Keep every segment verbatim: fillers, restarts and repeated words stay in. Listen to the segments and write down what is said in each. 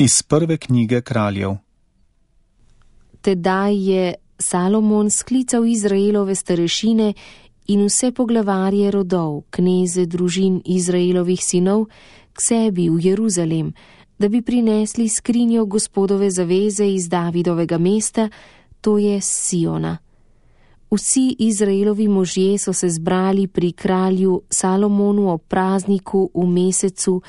Iz prve knjige Kraljev. Tedaj je Salomon sklical Izraelove starešine in vse poglavarje rodov, kneze družin Izraelovih sinov, k sebi v Jeruzalem, da bi prinesli skrinjo Gospodove zaveze iz Davidovega mesta, to je Siona. Vsi Izraelovi možje so se zbrali pri kralju Salomonu ob prazniku v mesecu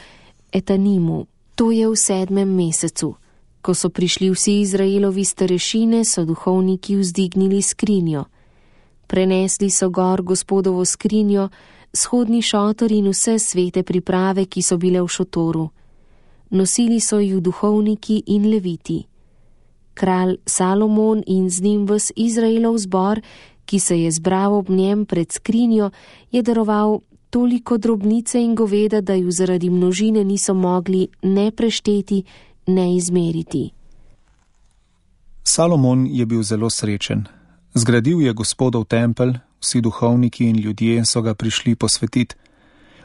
Etanimu, to je v sedmem mesecu. Ko so prišli vsi Izraelovi starešine, so duhovniki vzdignili skrinjo. Prenesli so gor Gospodovo skrinjo, shodni šotor in vse svete priprave, ki so bile v šotoru. Nosili so ju duhovniki in leviti. Kralj Salomon in z njim ves Izraelov zbor, ki se je zbral ob njem pred skrinjo, je daroval toliko drobnice in goveda, da ju zaradi množine niso mogli ne prešteti, ne izmeriti. Salomon je bil zelo srečen. Zgradil je Gospodov tempelj, vsi duhovniki in ljudje so ga prišli posvetiti.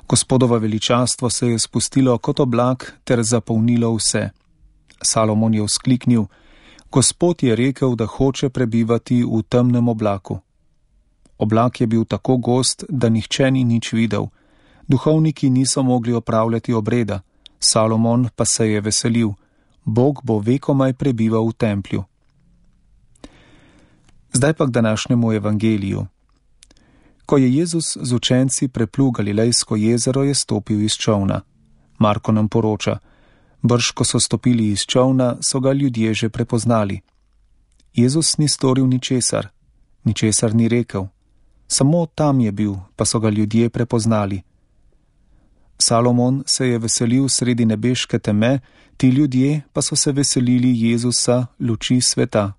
Gospodova veličastvo se je spustilo kot oblak ter zapolnilo vse. Salomon je vzkliknil: Gospod je rekel, da hoče prebivati v temnem oblaku. Oblak je bil tako gost, da nihče ni nič videl. Duhovniki niso mogli opravljati obreda, Salomon pa se je veselil: Bog bo vekomaj prebival v templju. Zdaj pa k današnjemu evangeliju. Ko je Jezus z učenci preplul Galilejsko jezero, je stopil iz čolna. Marko nam poroča: brž ko so stopili iz čolna, so ga ljudje že prepoznali. Jezus ni storil ničesar, ničesar ni rekel. Samo tam je bil, pa so ga ljudje prepoznali. Salomon se je veselil sredi nebeške teme, ti ljudje pa so se veselili Jezusa, luči sveta.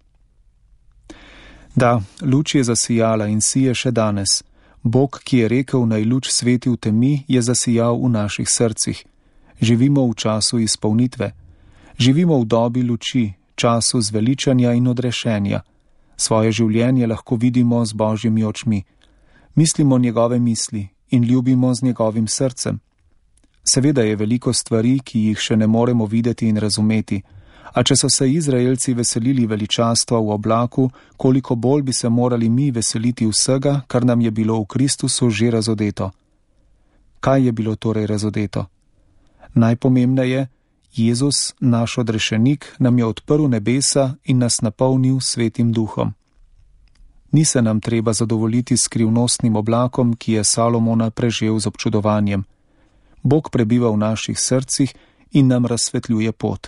Da, luč je zasijala in sije še danes. Bog, ki je rekel, naj luč sveti v temi, je zasijal v naših srcih. Živimo v času izpolnitve. Živimo v dobi luči, času zveličanja in odrešenja. Svoje življenje lahko vidimo z Božjimi očmi. Mislimo njegove misli in ljubimo z njegovim srcem. Seveda je veliko stvari, ki jih še ne moremo videti in razumeti, a če so se Izraelci veselili veličastva v oblaku, koliko bolj bi se morali mi veseliti vsega, kar nam je bilo v Kristusu že razodeto. Kaj je bilo torej razodeto? Najpomembneje, Jezus, naš odrešenik, nam je odprl nebesa in nas napolnil svetim duhom. Ni se nam treba zadovoljiti s skrivnostnim oblakom, ki je Salomona prežel z občudovanjem. Bog prebiva v naših srcih in nam razsvetljuje pot.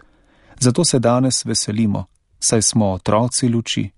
Zato se danes veselimo, saj smo otroci luči.